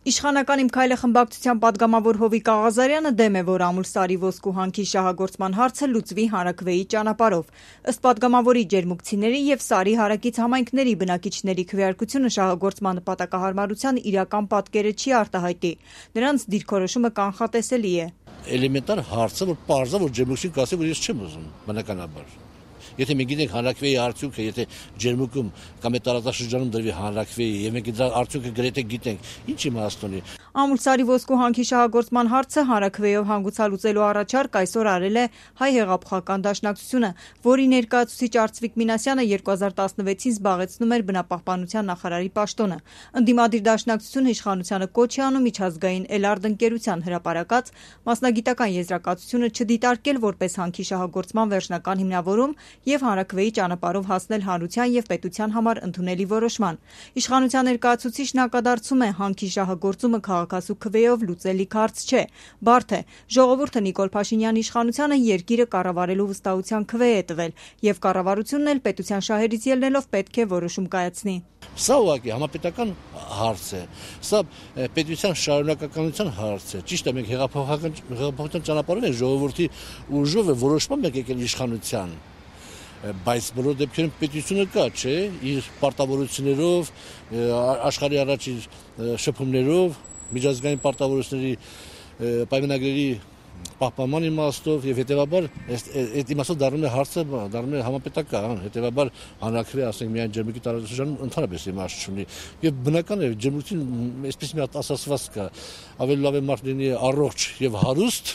Իշխանական «Իմ քայլը» խմբակցության պատգամավոր Հովիկ Աղազարյանը դեմ է, որ Ամուլսարի ոսկու հանքի շահագործման հարցը լուծվի հանրաքվեի ճանապարհով։ Ըստ պատգամավորի, ջերմուկցիների եւ Սարի հարակից համայնքների բնակիչների քվեարկությունը շահագործման նպատակահարմարության իրական պատկերը չի արտահայտի։ Նրանց դիրքորոշումը կանխատեսելի է։ Էլեմենտար հարցը, որ պարզա, որ ջերմուկցին կասի, որ ես չեմ ուզում, բնականաբար։ Եթե մենք գիտենք հանրաքվեի արդյունքը, եթե ջերմուկում կամ տարածաշրջանում դրվի հանրաքվեի, եւ մենք դրա արդյունքը գրեթե գիտենք, ինչ իմաստ ունի։ Ամուլսարի ոսկու հանքի շահագործման հարցը հանրաքվեով հանգուցալուծելու առաջարկ այսօր արել է Հայ հեղափոխական դաշնակցությունը, որի ներկայացուցիչ Արծվիկ Մինասյանը 2016-ին զբաղեցնում էր բնապահպանության նախարարի պաշտոնը։ Ընդդիմադիր դաշնակցությունը իշխանությանը կոչ է անում միջազգային Էլարդ ընկերության հրապարակած մասնագիտական եզրակացությունը չդիտարկել որպես հանքի շահագործման վերջնական հիմնավորում եւ հանրաքվեի ճանապարհով հասնել հանրության եւ պետության համար ընդունելի որոշման։ Իշխանության ներկայացուցիչն ակադարձում է հանքի շահագործումը քաղաքացու քվեով լուծելիք հարց չէ, բարդ է։ Ժողովուրդը Նիկոլ Փաշինյանի իշխանությանը երկիրը կառավարելու վստահության քվե է տվել եւ կառավարությունն էլ պետության շահերից ելնելով պետք է որոշում կայացնի։ Սա ուղղակի համապետական հարց է, սա պետության շարունակականության հարց է։ Ճիշտ է, մենք հեղափոխական ճանապարհով ենք, ժողովրդի ուժով է որոշման մենք եկել իշխանության, բայց բոլոր դեպքերում պետությունը կա, չէ, իր պարտավորություններով, աշխարհի առաջ իր շփումներով, միջազգային պարտավորությունների պայմանագրերի պահպանման իմաստով եւ հետեւաբար այդ իմաստով դառնում է հարցը, դառնում է համապետական, հետեւաբար հանրաքվե, ասենք, միայն ջերմուկի տարածաշրջանում ընդհանրապես իմաստ չունի։ Եվ բնական է, ջերմուկին այսպես մի հատ ասացված կա, ավելի լավ է մարդ լինի առողջ եւ հարուստ,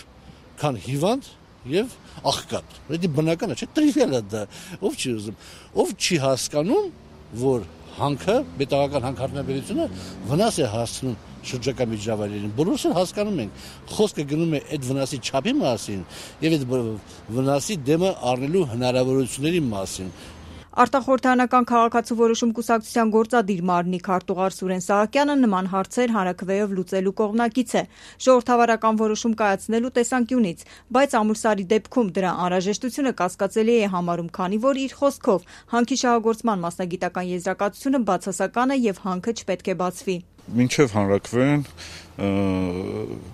քան հիվանդ եւ աղքատ։ Դա բնական է, չէ՞, տրիվիալ է դա։ Ով չի ուզում, ով չի հասկանում, որ հանքը, պետական հանքարդյունաբերությունը վնաս է հասցնում շրջակա միջավայրերին։ Բոլորս էլ հասկանում ենք, խոսքը գնում է այդ վնասի չափի մասին եւ այդ վնասի դեմը առնելու հնարավորությունների մասին։ Արտախորհրդարանական քաղաքացու որոշում կուսակցության գործադիր մարմնի քարտուղար Սուրեն Սահակյանը նման հարցեր հանրաքվեով լուծելու կողմնակից է ժողովրդավարական որոշում կայացնելու տեսանկյունից, բայց Ամուլսարի դեպքում դրա անհրաժեշտությունը կասկածելի է համարում, քանի որ իր խոսքով հանքի շահագործման մասնագիտական եզրակացությունը բացասական է եւ հանքը չպետք է բացվի։ Մինչև հանրաքվեն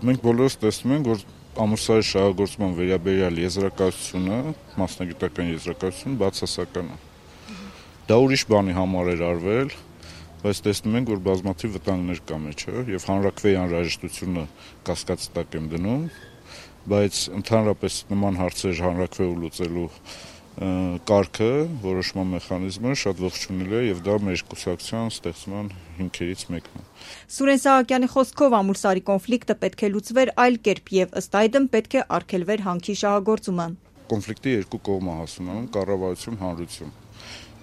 մենք բոլորս տեսնում ենք, որ Ամուլսարի շահագործման վերաբերյալ եզրակացությունը, մասնագիտական եզրակացությունը բացասական է։ Դա ուրիշ բանի համար էր արվել, բայց տեսնում ենք, որ բազմաթիվ վտանգներ կա մեջը եւ հանրաքվեի անհրաժեշտությունը կասկածի տակ եմ դնում, բայց ընդհանրապես նման հարցեր հանրաքվեով լուծելու կարգը, որոշման մեխանիզմը շատ ողջունելի է եւ դա մեր կուսակցության ստեղծման հիմքերից մեկն է։ Սուրեն Սահակյանի խոսքով Ամուլսարի կոնֆլիկտը պետք է լուծվեր այլ կերպ եւ ըստ այդմ պետք է արգելվեր հանքի շահագործումը։ Կոնֆլիկտի երկու կողմ է հասնում, կառավարություն, հանրություն։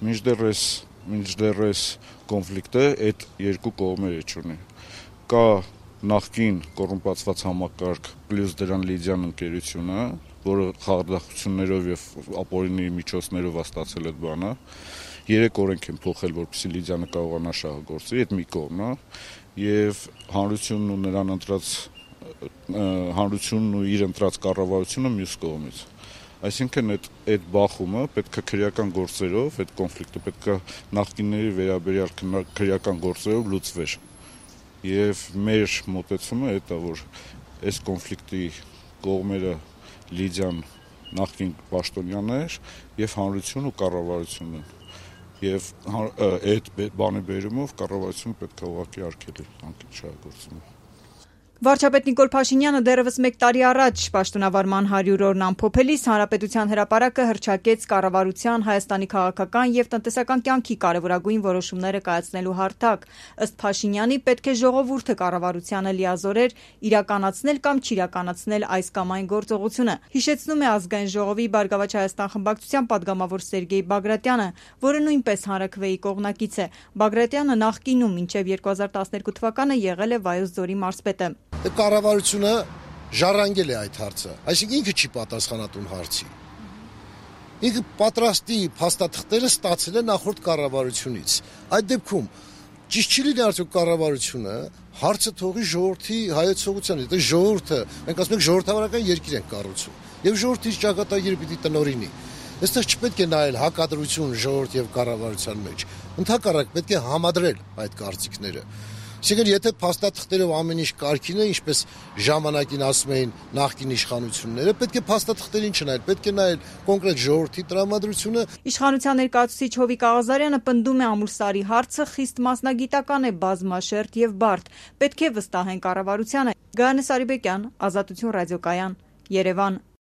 Մինչդեռ այս կոնֆլիկտը այդ երկու կողմերը չունի։ Կա նախկին կոռումպացված համակարգ պլյուս դրան Լիդիան ընկերությունը, որը խարդախություններով եւ ապօրինի միջոցներով ստացել այդ բանը։ 3 օրենք են փոխել, որպեսզի Լիդիանը կարողանա շահագործել, այդ մի կողմն է, եւ հանրությունն ու նրան ընտրած հանրությունն ու իր ընտրած կառավարությունը մյուս կողմից։ Այսինքն այդ բախումը պետք է քրեական գործերով, այդ կոնֆլիկտը պետք է նախկինների վերաբերյալ քրեական գործերով լուծվեր։ Եվ մեր մոտեցումը այդ է, որ այս կոնֆլիկտի կողմերը Լիդիան նախկին պաշտոնյաներ եւ հանրություն ու կառավարությունն են։ Եվ այդ բանի բերումով կառավարությունը պետք է ուղղակի արգելի հանքի շահագործումը։ Վարչապետ Նիկոլ Փաշինյանը դեռևս 1 տարի առաջ պաշտոնավարման 100-օրն ամփոփելիս հանրապետության հրապարակը հռչակեց կառավարության Հայաստանի քաղաքական եւ տնտեսական կյանքի կարևորագույն որոշումները կայացնելու հարթակ։ Ըստ Փաշինյանի պետք է ժողովուրդը կառավարությանը լիազորեր իրականացնել կամ չիրականացնել այս կամ այն գործողությունը։ Հիշեցնում է Ազգային ժողովի Բարգավաճ Հայաստան խմբակցության պատգամավոր Սերգեյ Բագրատյանը, որը նույնպես հանրաքվեի կողմնակից է։ Բագրատյանը նախկինում մինչև 2012 թվականը եղել է Վայոց ձորի մարզպետը։ Կառավարությունը ժառանգել է այդ հարցը, այսինքն ինքը չի պատասխանատուն հարցի։ Ինքը պատրաստի փաստաթղթերը ստացել է նախորդ կառավարությունից։ Այդ դեպքում ճիշտ չի լինի արդյոք կառավարությունը հարցը թողի ժողովրդի հայեցողությանը, դա ժողովուրդը, մենք ասում ենք ժողովրդավարական երկիր ենք կառուցում, եւ ժողովրդի ճակատագիրը պիտի տնօրինի։ Այստեղ չպետք է նայել հակադրություն ժողովրդ եւ կառավարության մեջ։ Ընդհակառակ պետք է համադրել այդ կարծիքները։ Այսինքն, եթե փաստաթղթերով ամեն ինչ կարգին է, ինչպես ժամանակին ասում էին նախկին իշխանությունները, պետք է փաստաթղթերին չնայել, պետք է նայել կոնկրետ ժողովրդի տրամադրությունը։ Իշխանության ներկայացուցիչ Հովիկ Աղազարյանը պնդում է Ամուլսարի հարցը խիստ մասնագիտական է, բազմաշերտ եւ բարդ։ Պետք է վստահեն կառավարությանը։ Գայանե Սարիբեկյան, Ազատություն ռադիոկայան, Երևան։